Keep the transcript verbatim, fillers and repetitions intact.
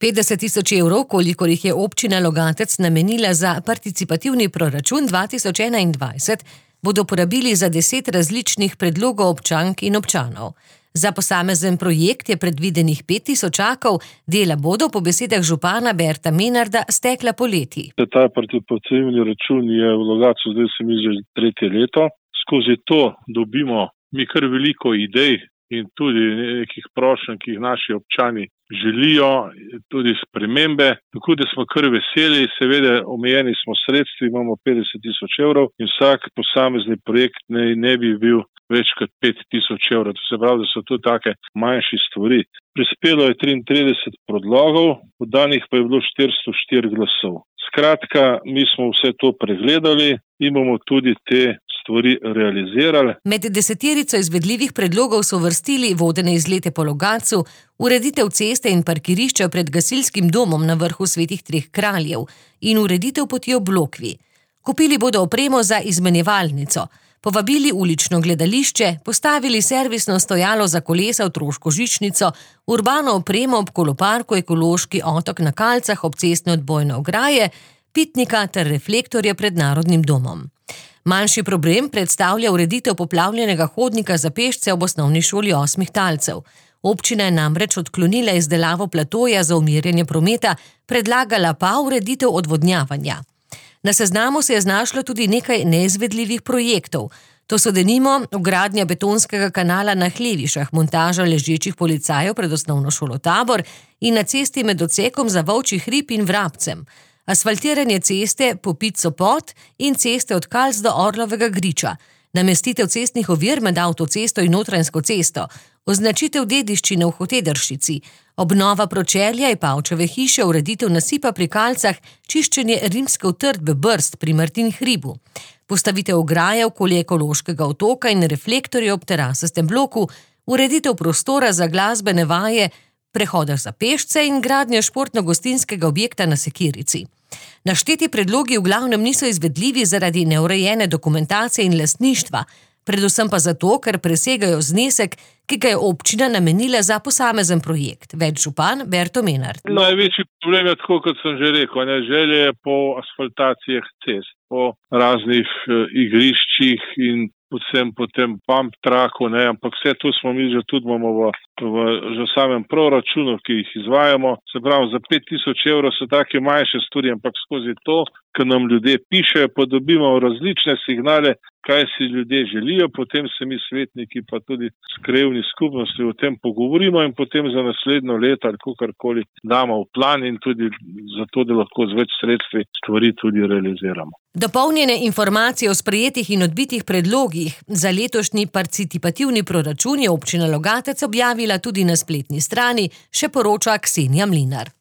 petdeset tisoč evrov, kolikor jih je občina Logatec namenila za participativni proračun dva tisoč enaindvajset, bodo porabili za deset različnih predlogov občank in občanov. Za posamezen projekt je predvidenih pet tisočakov, dela bodo po besedah župana Berta Menarda stekla poleti. Ta participativni račun je v Logatcu zdaj se mi že tretje leto. Skozi to dobimo mi kar veliko idej in tudi nekih prošenj, ki jih naši občani želijo, tudi spremembe, tako da smo kar veseli, seveda omejeni smo sredstvi, imamo petdeset tisoč evrov in vsak posamezni projekt ne, ne bi bil več kot pet tisoč evrov, to se pravi, da so to take manjše stvari. Prispelo je triintrideset predlogov, oddanih pa je bilo štiristo štiri glasov. Skratka, mi smo vse to pregledali in bomo tudi te stvari realizirali. Med deseterico izvedljivih predlogov so vrstili vodene izlete po Logatcu, ureditev ceste in parkirišča pred gasilskim domom na vrhu Svetih treh kraljev in ureditev poti ob Lokvi. Kupili bodo opremo za izmenjevalnico, povabili ulično gledališče, postavili servisno stojalo za kolesa, otroško žičnico, urbano opremo ob koloparku, ekološki otok na Kalcah ob cestne odbojne ograje, pitnika ter reflektorje pred Narodnim domom. Manjši problem predstavlja ureditev poplavljenega hodnika za pešce ob osnovni šoli Osmih Talcev. Občina je namreč odklonila izdelavo platoja za umirjanje prometa, predlagala pa ureditev odvodnjavanja. Na seznamu se je znašlo tudi nekaj neizvedljivih projektov. To so denimo vgradnja betonskega kanala na Hlevišah, montaža ležečih policajev pred osnovno šolo Tabor in na cesti med odsekom za Volčji hrib in Vrabcem, asfaltiranje ceste Popit-Sopot in ceste od Kalc do Orlovega griča, namestitev cestnih ovir med avtocesto in Notranjsko cesto, označitev dediščine v Hotedršici, obnova pročelja in Pavčeve hiše, ureditev nasipa pri Kalcah, čiščenje rimske utrdbe Brst pri Martin hribu, postavitev ograje okoli ekološkega otoka in reflektorje ob terasastem bloku, ureditev prostora za glasbene vaje, prehodah za pešce in gradnja športno-gostinskega objekta na Sekirici. Našteti predlogi v glavnem niso izvedljivi zaradi neurejene dokumentacije in lastništva, predvsem pa zato, ker presegajo znesek, ki ga je občina namenila za posamezen projekt. Več župan Berto Menard. Največji problem je, tako kot sem že rekel, ne, želje po asfaltacijah cest, po raznih uh, igriščih in predvsem po tem pump traku, ne, ampak vse to smo mi že tudi imamo v, v že samem proračunu, ki jih izvajamo. Se pravi, za pet tisoč evrov so take manjše stvari, ampak skozi to, ker nam ljudje pišejo, pa dobimo različne signale, kaj si ljudje želijo, potem se mi svetniki pa tudi s krajevni skupnosti o tem pogovorimo in potem za naslednjo leto ali kakorkoli damo v plan in tudi zato, da lahko z več sredstvi stvari tudi realiziramo. Dopolnjene informacije o sprejetih in odbitih predlogih za letošnji participativni proračun je občina Logatec objavila tudi na spletni strani, še poroča Ksenija Mlinar.